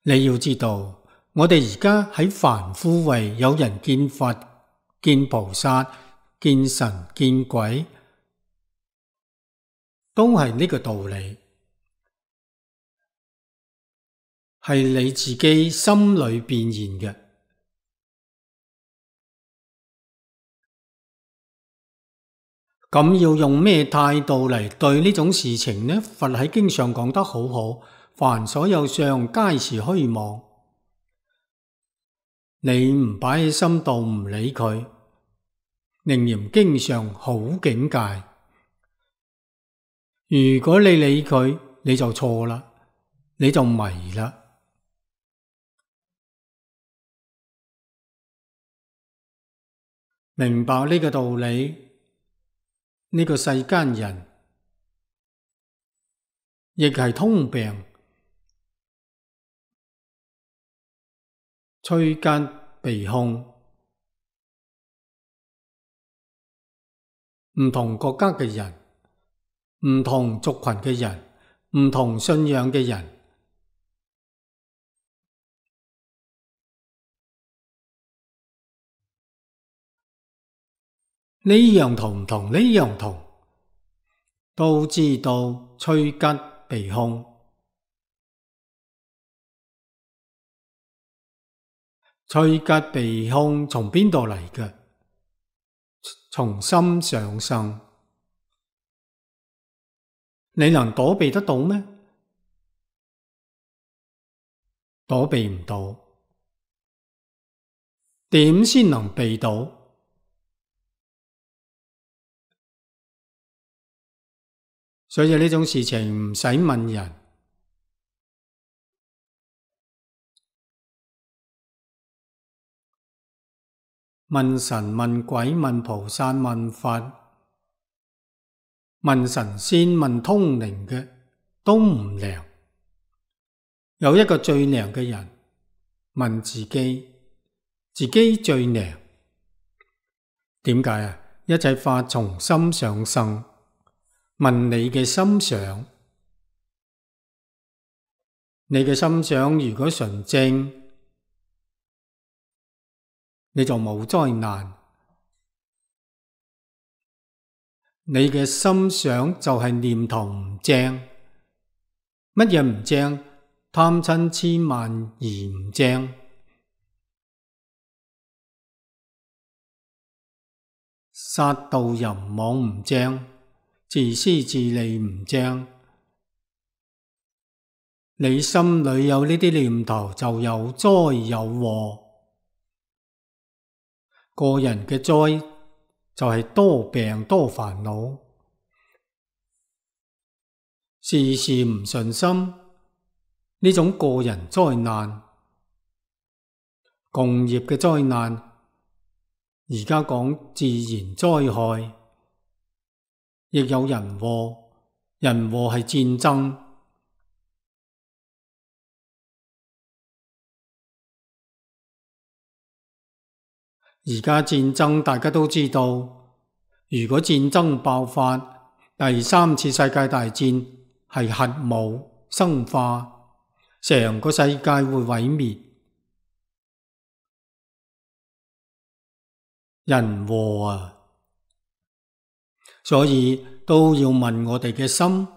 你要知道，我哋而家喺凡夫位，有人見佛、見菩薩、見神、見鬼，都係呢個道理，係你自己心裏變現嘅。咁要用咩態度嚟對呢種事情呢？佛喺經上講得好好，凡所有相，皆是虛妄。你唔擺喺心度，唔理佢，楞嚴經上好境界。如果你理佢，你就錯啦，你就迷啦。明白呢個道理，呢個世間人亦係通病，趨吉避凶。唔同國家嘅人，唔同族群嘅人，唔同信仰嘅人，呢樣同唔同，呢樣同，都知道趨吉避凶。趨吉避凶從邊度嚟嘅？從心想生。你能躲避得到咩？躲避唔到。點先能避到？所以呢種事情唔使問人，問神、問鬼、問菩薩、問佛、問神仙、問通靈嘅都唔靈。有一個最靈嘅人，問自己，自己最靈。點解啊？一切法從心想生。問你嘅心想，你嘅心想如果純正，你就冇災難。你嘅心想就係念頭唔正。乜嘢唔正？貪嗔癡慢疑唔正，殺盜淫妄唔正，自私自利唔正。你心裏有呢啲念頭，就有災有禍。個人嘅災就係多病多煩惱，事事唔順心，呢種個人災難。共業嘅災難，而家講自然災害，亦有人禍。人禍係戰爭。而家戰爭大家都知道，如果戰爭爆發，第三次世界大戰係核武生化，成個世界會毀滅。人禍啊！所以都要問我哋嘅心，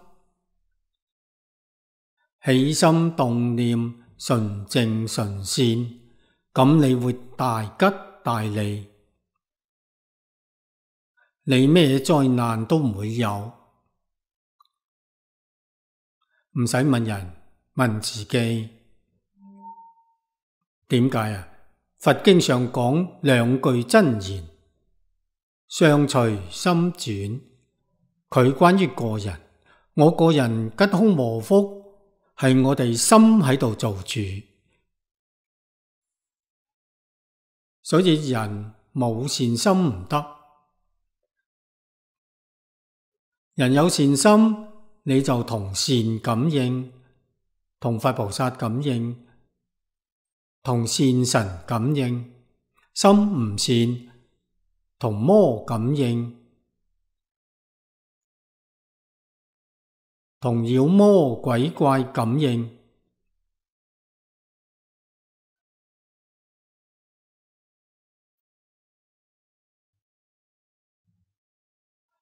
起心動念純正純善，咁你會大吉大利，你咩災難都唔會有。唔使問人，問自己。點解啊？佛經上講兩句真言，相隨心轉。佢關於個人，我個人吉凶禍福係我哋心喺度做主，所以人冇善心唔得。人有善心，你就同善感應，同佛菩薩感應，同善神感應。心唔善，同魔感應，同妖魔鬼怪感應。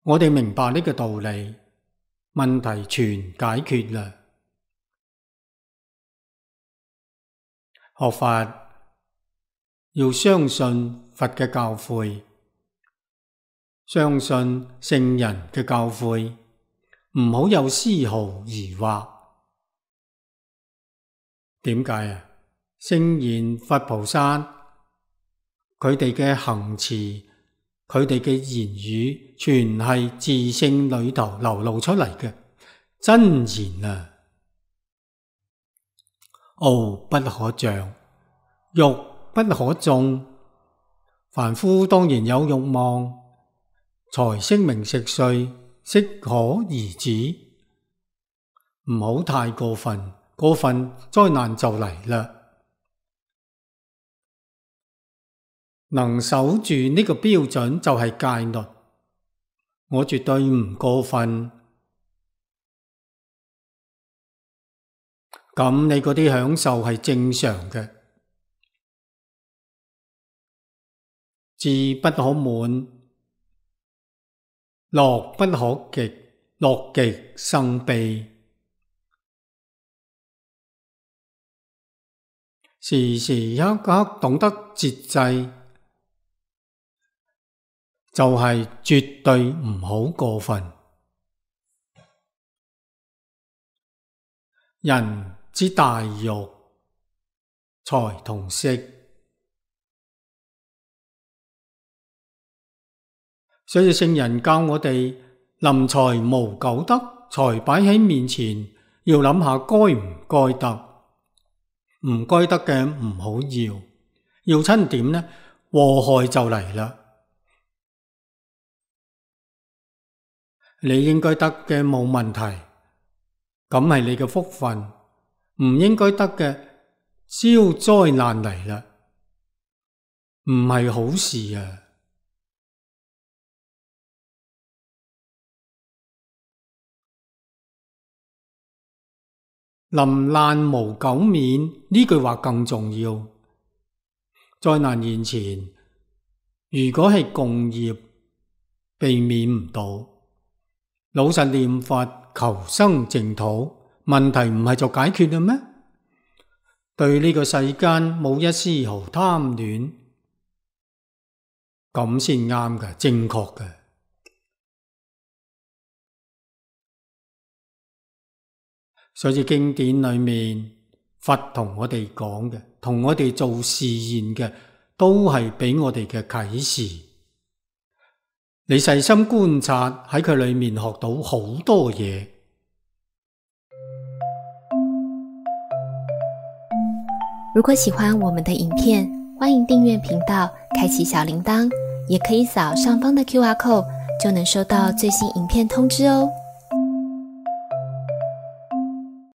我哋明白呢個道理，問題全解決啦。學法要相信佛嘅教誨，相信聖人嘅教誨，唔好有絲毫疑惑。點解啊？聖賢佛菩薩佢哋嘅行持，佢哋嘅言語，全係自性裏頭流露出嚟嘅真言啊！傲不可障，欲不可縱。凡夫當然有欲望，財色名食睡，適可而止，唔好太過分，過分災難就嚟啦。能守住呢個標準就係戒律，我絕對唔過分。咁你嗰啲享受係正常嘅，志不可滿，樂不可極，樂極生悲。時時刻刻懂得節制，就係絕對唔好過分。人之大欲，財同色，所以聖人教我哋臨財無苟得，財擺喺面前，要諗下該唔該得，唔該得嘅唔好要親點呢？禍害就嚟啦。你應該得嘅冇問題，咁係你嘅福分。唔應該得嘅，招災難嚟啦，唔係好事啊！臨難無苟免呢句話更重要。災難現前，如果係共業，避免唔到。老實念佛，求生淨土，問題唔係就解決啦咩？對呢個世間冇一絲毫貪戀，咁先啱嘅，正確嘅。所以經典裏面，佛同我哋講嘅，同我哋做示現嘅，都係俾我哋嘅啟示。你細心觀察，喺佢裏面學到好多嘢。如果喜歡我們的影片，歡迎訂閱頻道，開啟小鈴鐺，也可以掃上方的QR code，就能收到最新影片通知哦。